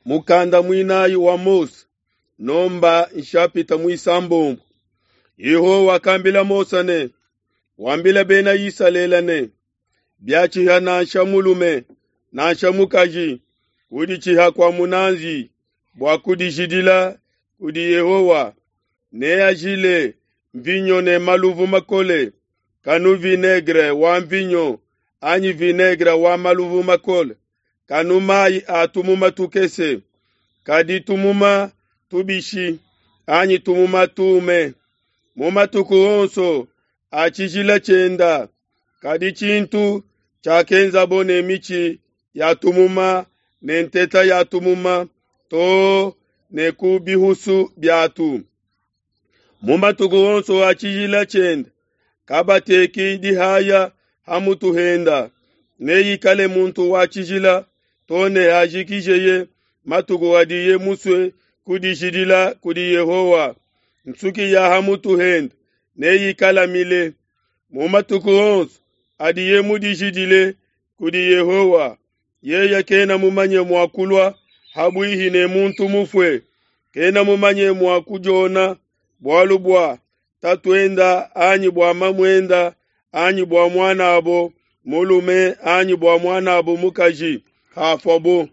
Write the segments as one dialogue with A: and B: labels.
A: Mukanda muinayi wa Mose, nomba nshapita muisambombo. Yehowa wakambila Mose ne, wambila bena Isalele ne, biatshiha nansha mulume nansha mukaji kuditshiha kua munanzi bua kudijidila kudi Yehowa, neajile mvinyo ne maluvu makole, kanu vinaigre wa mvinyo anyi vinaigre wa maluvu makole, kanu mayi a tumuma tukese, kadi tumuma tubishi anyi tumuma tume. Mu matuku onso a tshijila tshienda, kadi tshintu tshiakenzabo ne mitshi ya tumuma ne nteta ya tumuma too ne ku bihusu biatu. Mu matuku onso a tshijila tshienda, kabateki dihaya ha mutu henda, neikale muntu wa tshijila too ne hajikijeye matuku adiye musue kudijidila kudi Yehowa. Nsuki ya ha mutu henda neikale mile. Mu matuku onso adiye mudijidile kudi Yehowa, yeye kena mumanye mua kulua habuihi ne muntu mufue, kena mumanye mua kudiona bualu bua tatuenda anyi bua mamuenda anyi bua muanabo mulume anyi bua muanabo mukaji hafuabo.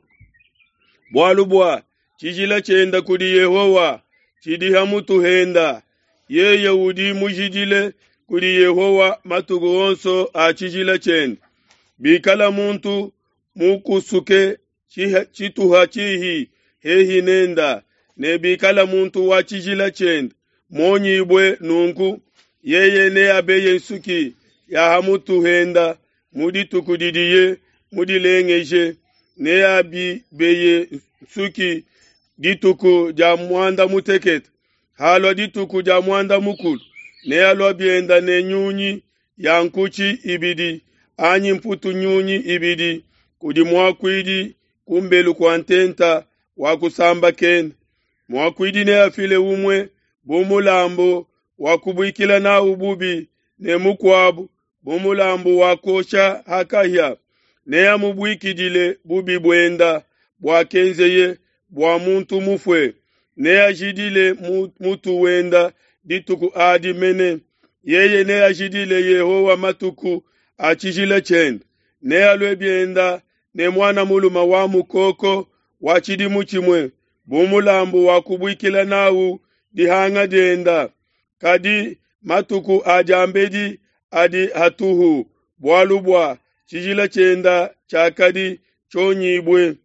A: Bualu bua tshijila tshienda kudi Yehowa tshidi ha mutu henda, yeye udi mujidile kudi Yehowa matuku onso a tshijila tshiende. Bikala muntu mukusuke tshituha tshihi hehi nenda, ne bikala muntu wa tshijila tshiende muonyibue nunku, yeye neabeye nsuki ya ha mutu henda mu dituku didiye mudilengeje, neabibeye nsuki dituku dia muanda mutekete. Halua dituku dia muanda mukulu, nealua bienda ne nyunyi ya nkutshi ibidi anyi mputu nyunyi ibidi kudi muakuidi kumbelu kua ntenta wa kusambakena. Muakuidi neafile umue bu mulambu wa kubuikila nawu bubi ne mukuabu bu mulambu wa kuosha ha kahia. Neamubuikidile bubi buenda buakenzeye bua muntu mufue, neajidile mutu wenda dituku adi mene. Yeye neajidile Yehowa matuku a tshijila tshiende, nealue bienda ne muana mulume wa mukoko wa tshidimu tshimue bu mulambu wa kubuikila nawu dihanga dienda. Kadi matuku a diambedi adi hatuhu, bualu bua tshijila tshienda tshiakadi tshionyibue.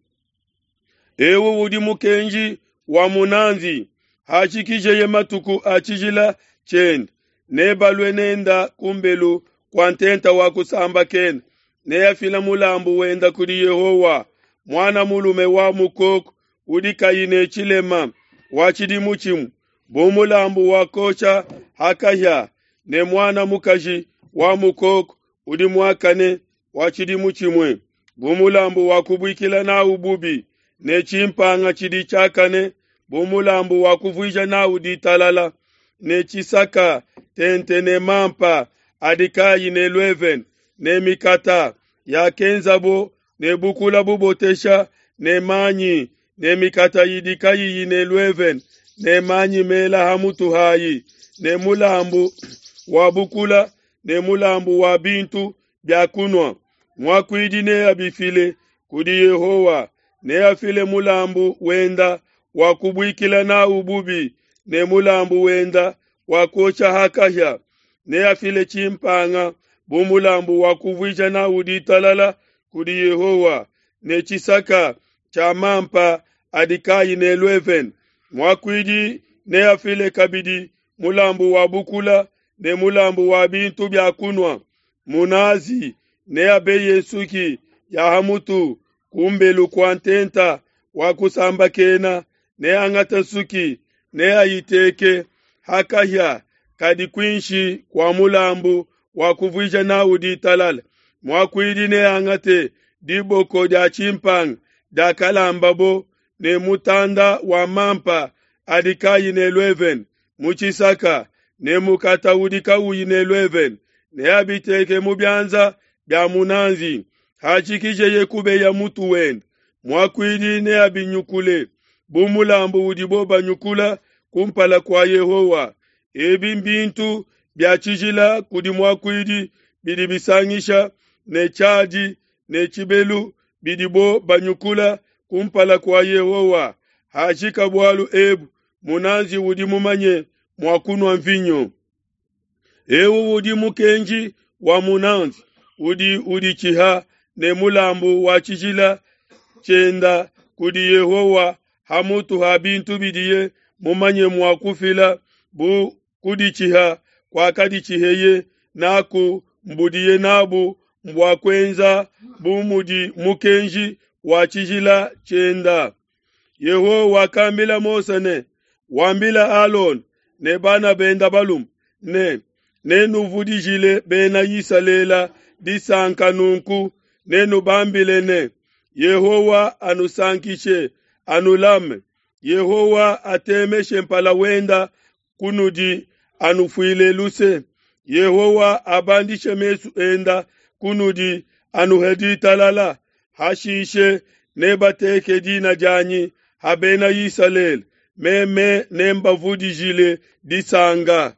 A: Ewu udi mukenji wa munanzi, hajikijeye matuku a tshijila tshiende, nebalue nenda kumbelu kua ntenta wa kusambakena, neafile mulambu wenda kudi Yehowa, muana mulume wa mukoko udi kayi ne tshilema wa tshidimu tshimue bu mulambu wa kuosha ha kahia, ne muana mukaji wa mukoko udi muakane wa tshidimu tshimue bu mulambu wa kubuikila nawu bubi, ne tshimpanga tshidi tshiakane bu mulambu wa kuvuija nawu ditalala, ne tshisaka tente ne mampa adi kayi ne luevene, ne mikata yakenzabo ne bukula bubotesha ne manyi, ne mikata idi kayiyi ne luevene, ne manyi mela ha mutu hayi, ne mulambu wa bukula ne mulambu wa bintu bia kunua. Muakuidi neabifile kudi Yehowa, neafile mulambu wenda wa kubuikila nawu bubi ne mulambu wenda wa kuosha ha kahia. Neafile tshimpanga bu mulambu wa kuvuija nawu ditalala kudi Yehowa, ne tshisaka tshia mampa adi kayi ne luevene. Muakuidi neafile kabidi mulambu wa bukula ne mulambu wa bintu bia kunua. Munazi neabeye nsuki ya ha mutu kumbelu kua ntenta wa kusambakena, neangate nsuki neayiteke ha kahia kadi kuinshi kua mulambu wa kuvuija nawu ditalala. Muakuidi neangate diboko dia tshimpanga diakalambabo ne mutanda wa mampa adi kayi ne luevene mu tshisaka ne mukata udi kawuyi ne luevene, neabiteke mu bianza bia munanzi. Hajikijeye kubeya mutu wenda. Muakuidi neabinyukule bu mulambu udibo banyukula kumpala kua Yehowa. Ebi mbintu bia tshijila kudi muakuidi bidi bisangisha ne tshiadi ne tshibelu bidibo banyukula kumpala kua Yehowa. Hajika bualu ebu, munazi udi mumanye mua kunua mvinyo. Eu udi mukenji wa munazi udi uditshiha ne mulambu wa tshijila tshienda kudi Yehowa ha mutu ha bintu bidiye mumanye mua kufila bu kuditshiha kuakaditshiheye naku mbudiye nabu mbua kuenza bu mudi mukenji wa tshijila tshienda. Yehowa wakambila Mose ne, Wambila Alona ne bana benda balume ne, Nenuvudijile bena Isalele disanka nunku, nenubambile ne, Yehowa anusankishe, anulame. Yehowa atemeshe mpala wenda kunudi, anufuile luse. Yehowa abandishe mesu enda kunudi, anuhe ditalala. Hashishe nebateke dina dianyi ha bena Isalele, meme nembavudijile disanka.